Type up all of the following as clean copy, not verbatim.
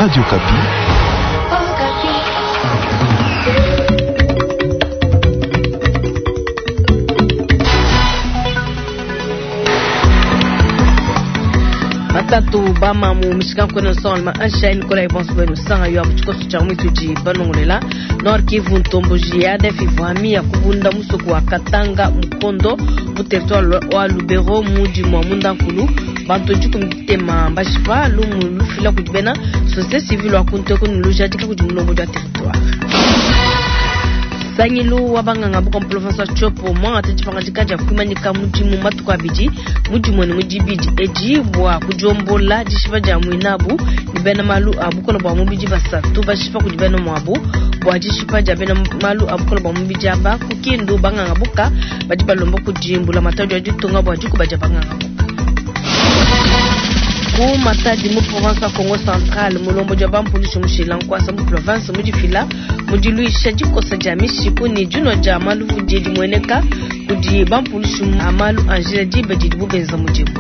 Radio Okapi. Batatu bamamu mishikankweno nsonga ansha Nicolas Ebonso bwenu sanga yo abu tshikoso tshia mwitudi balongolela Nord Kivu ntomboji ya ADF ivwami ya kubunda musoko wa Katanga Mukondo mu territoire wa Lubero mudi mwa Mundankulu bantu dikumi ditema mbashipa lumu lufila kudi bena société civile wa kunteko ni lujadika kudi mulombo dia territoire. Sangilu wa banganga buka province wa Tshopo mwangata dipangadika dia kuimanyika mudimu matuku abidi mudimu ne mudibidi edi bua kudiombola dishipa dia muinabu ni bena malu a bukola bua mubidi basatu bashipa kudi bena muabu bua dishipa dia bena malu a bukola bua mubidi aba ku Kindu banganga buka badi balomba kudimbula matadi ya ditunga bua dikuba dia banganga buka. Ku Matadi mu province ya Congo Central mulombo dia bampulushi mushila nkwasa mu province mudifila mudiluisha dikosa dia mishiku ni dino dia maluvu die dimueneka kudi bampulushi amalu Angela diba didi bubenza mudimu.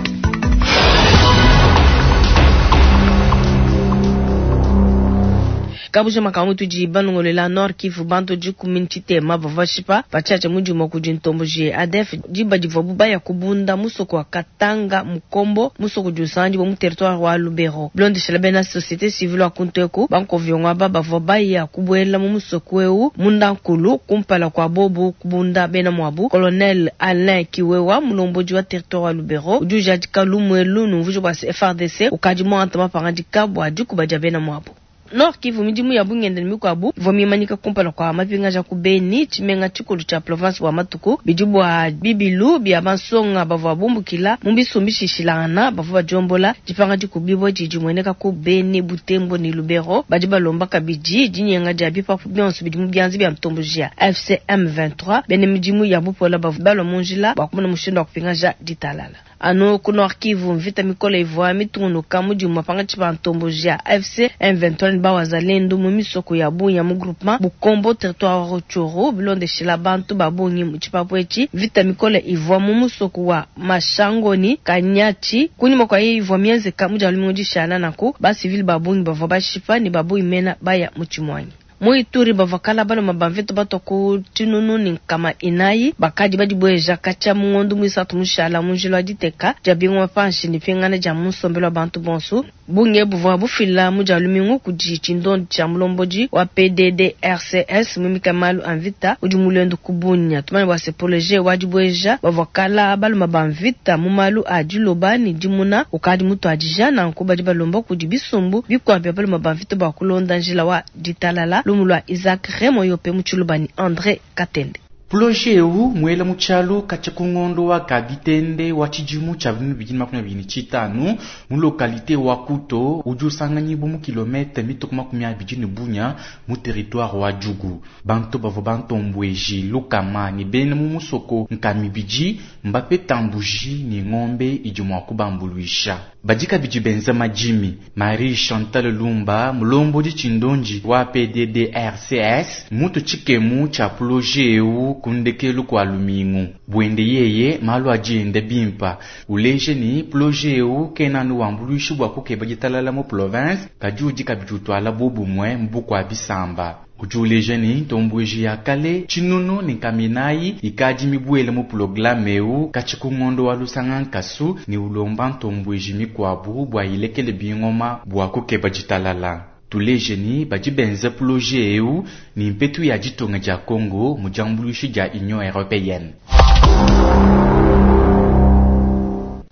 Kabuja makambo tudi balongolela Nord Kivu bantu dikumi ntshitema bavua bashipa batshiatsha mudimu kudi ntomboji ADF diba divua bubaya kubunda musoko wa Katanga Mukombo musoko udi usanganyibua mu territoire wa Lubero. Bilondeshela bena société civile wa kunteku bankovyongo aba bavua baya kubuela mu musoko eu mundankulu kumpala kwa bobu kubunda bena muabu. Colonel Alain Kiwewa mulombodi wa territoire wa Lubero udi ujadika lumuelu numvuja bua FARDC ukadi muanta mapangadika bua dikuba dia bena muabu. Nord Kivu midimu ya bungende ni mikwabu ivua mimanyika kumpala kwa mapingaja ku Beni tshimenga tshikulu tshia province wa Matuku bidi bua bibilu bia bansonga bavua bumbukila mu bisumbi shishilangana bavua badiombola dipanga dikubibwa didi mueneka ku Beni Butembo ni Lubero badi balomba kabidi dinyenga dia bipapu bionso bidi mu bianza bia ntomboji ya FCM 23 bene midimu ya bupola bavua balwa mu njila bua kumona mushindu wa kupingaja ditalala. Ano ku Nord Kivu mvita mikole ivua mitungunuka mudimu mapanga tshipa ntomboji ya FC M23 ni bawazalendo mu misoko ya Bunya mu groupement Bukombo territoire wa Rutshuru bilondeshela bantu ba bungi mu tshipapu etshi. Vita mikole ivua mu musoko wa Mashangoni Kanyachi kunyuma kwa ivua mienzeka mu dia lumingu dishala nanku ba civil ba bungi bavua bashipa ni ba bungi mena baya mu tshimwanyi. Mu Ituri bavua kala baloma ba mvita batwa ku tshinunu ni nkama inayi bakadi badibweja katshia mu ngondo muisatu mushala mu njila wa diteka dia bingoma panshi ni pingana dia mu nsombelu wa bantu bonso. Bunge buvua bufila mu dia lumingu kudi tshindondi tshia mulombodi wa PDDRCS mumika malu a mvita udi mulendo ku Bunia. Tumanye bua se projet wa dibweja bavua kala baloma ba mvita mu malu a diloba ni dimuna ukadi mutuadija nanku badi balomba kudi bisumbu bikuabu bia baloma ba mvita bua kulonda njila wa ditalala. Lumu lwa Isaac Remo Yope mu Tshiluba ni André Katende. Projet eu muela mu tshialu katshia ku ngondo wa Kabitende wa tshidimu tshia 2025 mu localité wa Kuto udi usanganyibwa mu kilomètre mituku makumi abidi ne bunya mu territoire wa Djugu. Bantu bavua bantombweji lukama ne bena mu musoko nkamibidi mbapeta mbuji ne ngombe idi mua kubambuluisha. Badi kabidi benza madimi. Marie Chantal Lumba mulombodi tshindonji wa PDDRCS mutu tshikemu tshia projet eu kundekelu kwa lumingu. Bwende yeye malu ajiende bimpa. Uleje ni projet eu kena wambuluishi bwa kukeba ditalala mu province kadi udi kabidi utwala bobumwe mbuku bisamba. Udi uleja ni ntombweji ya kale tshinunu ni nkaminayi ikadi mibuele mu programme eu katshi ku ngondo wa lusanga nkasu ni ulomba ntombweji mikwabu bua ilekele bingoma bua kukeba ditalala. Tuleje ni badi benza projet eu ni mpetu ya ditunga dia Congo mu diambuluishi dia Union Européenne.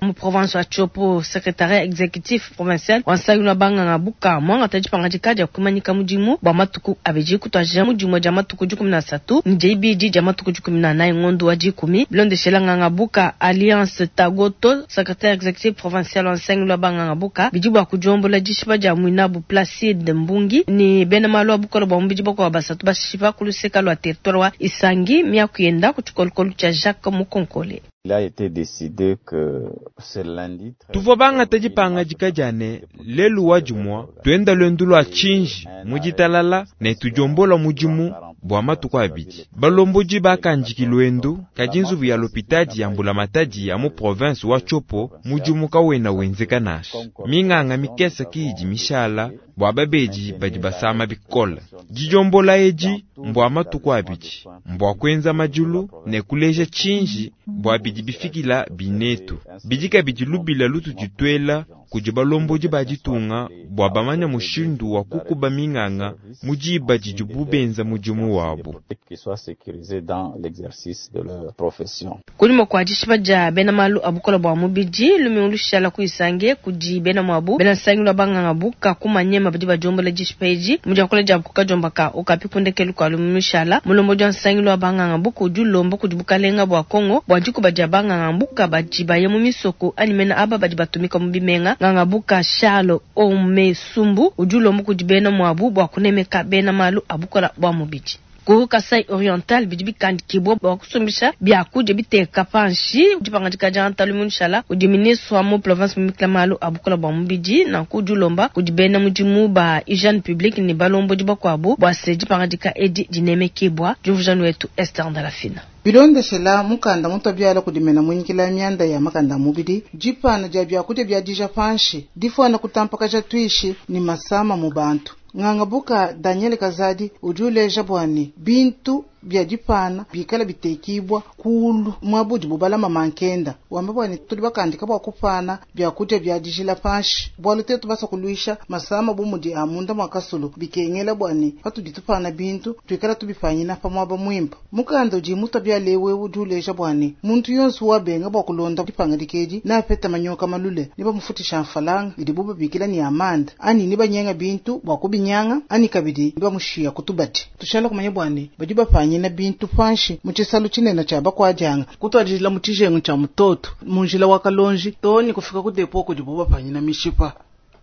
Mu province wa Tshopo, secrétariat exécutif provincial wa nsangilu wa banganga buka mwangata dipangadika dia kuimanyika mudimu bua matuku abidi kutuadija mudimu dia matuku 13 ni dia ibidi dia matuku 14 ngondo wa dikumi. Bilondeshela nganga buka Alliance Tagoto, secrétaire exécutif provincial wa nsangilu wa banganga buka bidi bua kudiombola dishipa dia mwinabu Placide Mbungi ni bena malu a bukolo bua mubidi bakua basatu bashipa ku luseka lua territoire wa Isangi miakuyenda ku tshikolokolo tshia Jacques Mukonkole. Il a été décidé que ce lundi tuvua bangata dipangadika dia ne lelu wa dimua tuenda luendu lua tshinji mu ditalala ne tudiombola mudimu bua matuku abidi. Balombodi bakandika luendu, kadi nzubu ya lopitadi ya mbulamatadi ya mu province wa Tshopo mudimu kawena wenzeka nansha. Minganga mikese ke idi mishala bua babedi badi basama bikole. Didiombola edi mbua matuku abidi, mbua kuenza madilu ne kuleja tshinji bua bidi bifikila binetu. Bidi kabidi lubila lutudi tuela kudi balombodi ba ditunga bua bamanye mushindu wa kukuba minganga mu diba didibu benza mudimu wabu. Qu'ils soient sécurisés dans l'exercice de leur profession. Kunyima kua dishipa dia bena malu a bukole bua mubidi lumingu lushala ku Isange kudi bena muabu bena nsangilu wa banganga buka ku Maniema badi badiombola dishipa edi mu diakula diabu ku kadiomba ka Okapi ku ndekelu kua lumingu lushala. Mulombodi wa nsangilu wa banganga buka udi ulomba kudi bukalenga bua Congo bua dikuba dia banganga buka badi baya mu misoko anyi mena aba badi batumika mu bimenga. Nganga buka Charles Omesumbu udi ulomba kudi bena muabu bua kunemeka bena malu a bukole bua mubidi. Ku Kasai Oriental bidi bikandikibua bua kusumbisha biakudia biteka panshi. Dipangadika dia lumingu lushala kudi ministre wa mu province mumikila malu a bukole bua mubidi, nanku udi ulomba kudi bena mudimu ba hygiene publique ne balombodi bakuabu bua se dipangadika edi dinemekibua. Diumvuija wetu Esther Ndalafina. Bilondeshela mukanda mutu biala kudimena muinyikila mianda ya makanda mubidi dipana dia biakudia bia dija panshi difuana kutampakaja tuishi ni masama mu bantu. Nganga buka Daniel Kazadi udi uleja bua ne bintu bia dipana bikala bitekibwa kulu mwabudi bubalama mankenda wamba bua ne tudi bakandika bua kupana biakudia bia dijila panshi bualu tetu basa kuluisha masama bu mudi a munda mua kasulu bikengela bua ne patudi tupana bintu tuikala tubipanyina pa muaba muimpe. Mukanda udi muta bia lewe udi uleja bua ne muntu yonso wabenga bua kulonda dipangadika edi napeta manyoka malule ne bamufutisha mfalanga idi bubabikila ni amande ani ne banyenga bintu bua kubinyanga ani kabidi ne bamushiya kutubadi. Tushala kumanya bua ne badi bapanyina bintu panshi mu tshisalu tshinene tshia bakuadianga kutwadijila mu tshijengu tshia mutoto mu njila wa kalonji to ni kufika ku depo kudibo bapanyina mishipa.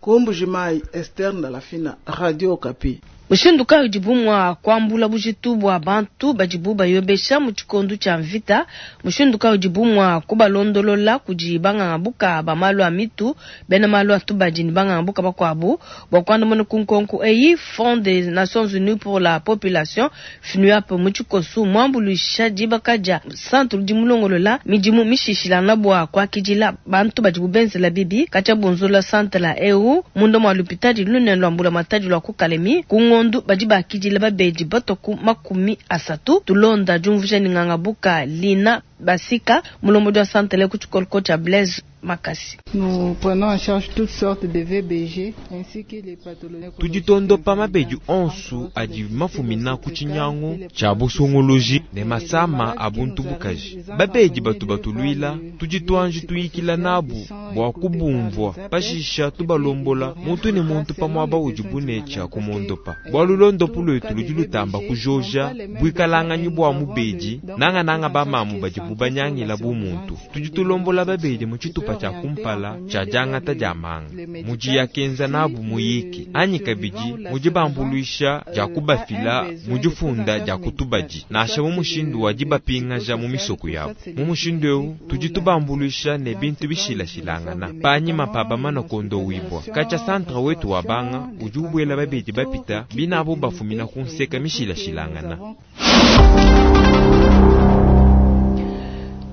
Ku Mbuji-Mayi, Esther Ndalafina, Radio Okapi. Mushindu kayi udibu mua kuambula bujitu bua bantu badibu bayobesha mu tshikondo tshia mvita? Mushindu kayi udibu mua kubalondolola kudi banganga buka ba malu a mitu, bena malu a tubadi ne banganga buka bakuabu? Bua kuandamuna ku nkonko eyi, Fonds des Nations Unies pour la Population FNUAP mu tshikosu muambuluisha dibaka dia centre udi mulongolola midimu mishishilangana bua kuakidila bantu badibu benzela bibi katshia bunzula centre eu munda mua lupitadi lunene lua mbulamatadi lua ku Kalemi ku ngondu badi bakidila babedi batua ku 30. Tulonda diumvuija ne nganga buka Lina Basika mulombodi wa centre ku tshikoloko tshia Blaise Makasi. Nous prenons en charge toutes sortes de VBG ainsi que les pathologies. Tudi tondopa mabedi onso adi mafumina ku tshinyangu tshia busunguluji ne masama a buntu bukaji. Babedi batu batuluila tudi tuanji tuyikila nabu bua kubumvua pashisha tubalombola muntu ne muntu pa muaba udibu ne tshia kumondopa. Bualu londopu luetu ludi lutamba kujoja buikalanganyi bua mubedi nangananga bamamu badibu banyangila bu muntu. Tudi tulombola babedi mu tshitupa tshia kumpala tshia diangata dia manga mudi yakenza nabu muyiki anyi kabidi mudi bambuluisha dia kubafila mu difunda dia kutubadi nansha mu mushindu wa dibapingaja mu misoko yabu. Mu mushindu eu tudi tubambuluisha ne bintu bishilashilangana panyima pa bamana kondo wibwa. Katshia centre wetu wa banga udi ubuela babedi bapita binabo bafumina ku nseka mishilashilangana.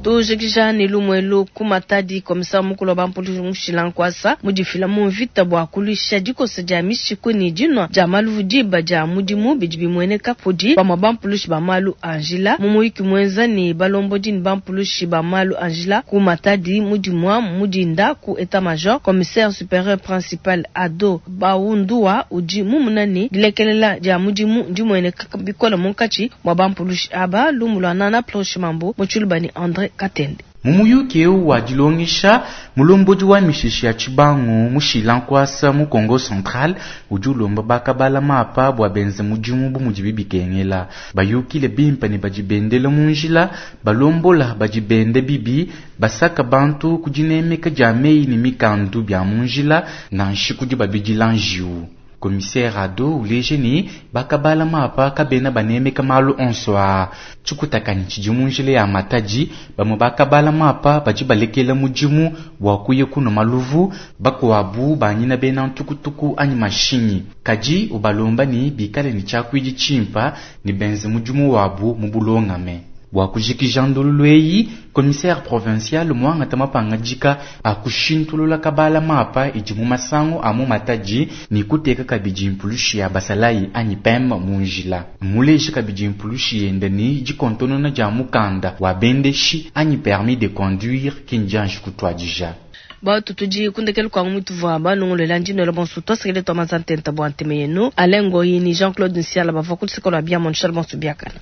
Tujikija ne lumuelu ku Matadi, commissaire mukulu wa bampulushi mushila nkwasa mudifila mu mvita bua kuluisha dikosa dia mishiku ne dinua dia maluvu diba dia mudimu bidi bimueneka kudi bamue bampulushi ba malu a njila. Mu muyiki muenza ne balombodi ne bampulushi ba malu a njila ku Matadi mudimua mudinda ku état major, commissaire supérieur principal Ado Baundua udi mumuna ne dilekelela dia mudimu ndimueneka bikole munkatshi mua bampulushi aba. Lumu lua Nana Proche Mambo mu Tshiluba ne André Katende. Mu muyuki eu wa dilongesha mulombodi wa mishishi ya tshibangu mushila nkwasa mu Congo Central udi ulomba bakabala mapa bua benze mudimu bu mudibi bikengela bayukile bimpe ne badi bendele mu njila balombola badi bende bibi basaka bantu ku dinemeka dia meyi ne mikandu bia mu njila nansha kudi babidila njiwu. Commissaire Ado uleje ne bakabala mapa kabena banemeka malu onso a tshikutakanyi tshidi mu njila ya Matadi. Bamwe bakabala mapa badi balekela mudimu bua kuya kunua maluvu, bakuabu banyina bena ntukutuku anyi mashinyi. Kadi ubalomba ne bikale ne tshiakuidi tshimpa ne benze mudimu wabu mu bulongame. Bua kujikija ndululu eyi, commissaire provincial muangata mapangadika a kushintulula kabala mapa idi mu masangu a mu Matadi ne kuteka kabidi mpulushi ya basalayi anyi PEM mu njila. Muleje kabidi mpulushi yende ne dikontonona dia mukanda wa bendeshi anyi permis de conduire kindianji kutuadija. Batu tudi kundekelu kwa mutuvua banungulela ndino la bonso twasekele twa mazantenta bwa nteme yenu Alain Ngoyi ni Jean-Claude Nsiala bavua ku luseke lua biamu nshal bonso biakana.